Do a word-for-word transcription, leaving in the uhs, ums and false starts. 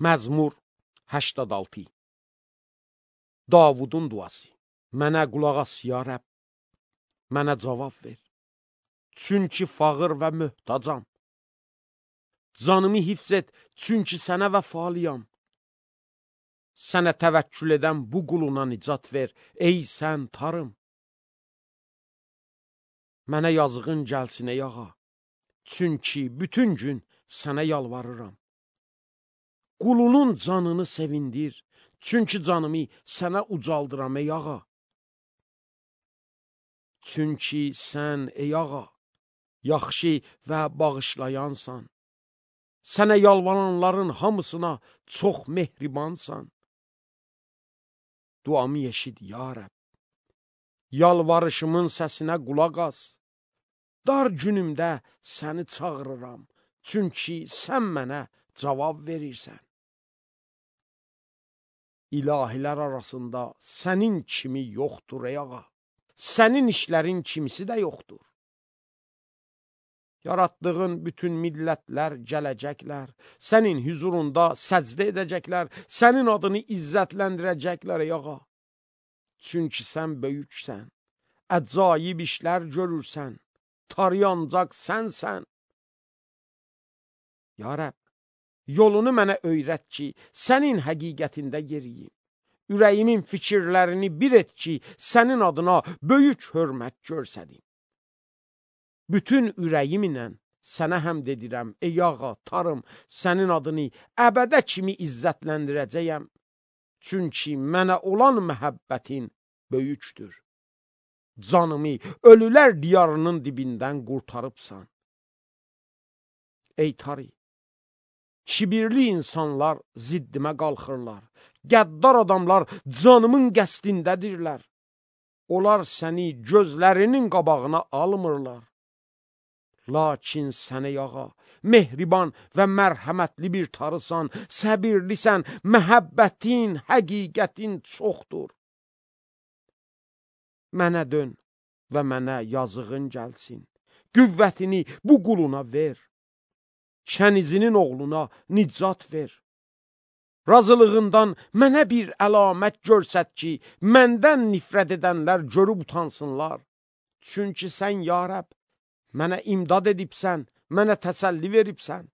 Məzmur səksən altı. Davudun duası. Mənə qulaq as ya Rəbb, mənə cavab ver. Çünki fağır və möhtacam. Canımı hifz et, çünki sənə vəfalıyam. Sənə təvəkkül edən bu quluna nicat ver, ey sən tarım. Mənə yazığın gəlsin ey ağa, çünki bütün gün sənə yalvarıram. Qulunun canını sevindir, çünki canımı sənə ucaldıram ey ağa. Çünki sən ey ağa, yaxşı və bağışlayansan. Sənə yalvaranların hamısına çox mehribansan. Duamı eşit ya Rəbb. Yalvarışımın səsinə qulaq as. Dar günümdə səni çağırıram, çünki sən mənə cavab verirsən. İlahilər arasında sənin kimi yoxdur ey ağa. Sənin işlərin kimisi də yoxdur. Yaratdığın bütün millətlər gələcəklər, sənin huzurunda səcdə edəcəklər, sənin adını izzətləndirəcəklər ey ağa. Çünki sən böyüksən, əcaib işlər görürsən, tarayancaq sənsən. Ya Rəbb, yolunu mənə öyrət ki, sənin həqiqətində yeriyim. Ürəyimin fikirlərini bir et ki, sənin adına böyük hörmət görsədim. Bütün ürəyimlə sənə həmd edirəm, ey ağa, tarım, sənin adını əbədə kimi izzətləndirəcəyəm. Çünki mənə olan məhəbbətin böyükdür. Canımı ölülər diyarının dibindən qurtarıbsan. Ey tarı, kibirli insanlar ziddimə qalxırlar. Qəddar adamlar canımın qəsdindədirlər. Onlar səni gözlərinin qabağına almırlar. Lakin sən ey ağa, mehriban və mərhəmətli bir tarısan, səbirlisən, məhəbbətin, həqiqətin çoxdur. Mənə dön və mənə yazığın gəlsin. Qüvvətini bu quluna ver. Kənizinin oğluna nicat ver. Razılığından mənə bir əlamət görsət ki, məndən nifrət edənlər görüb utansınlar. Çünki sən ya Rəbb, mənə imdad edibsən, mənə təsəlli veribsən.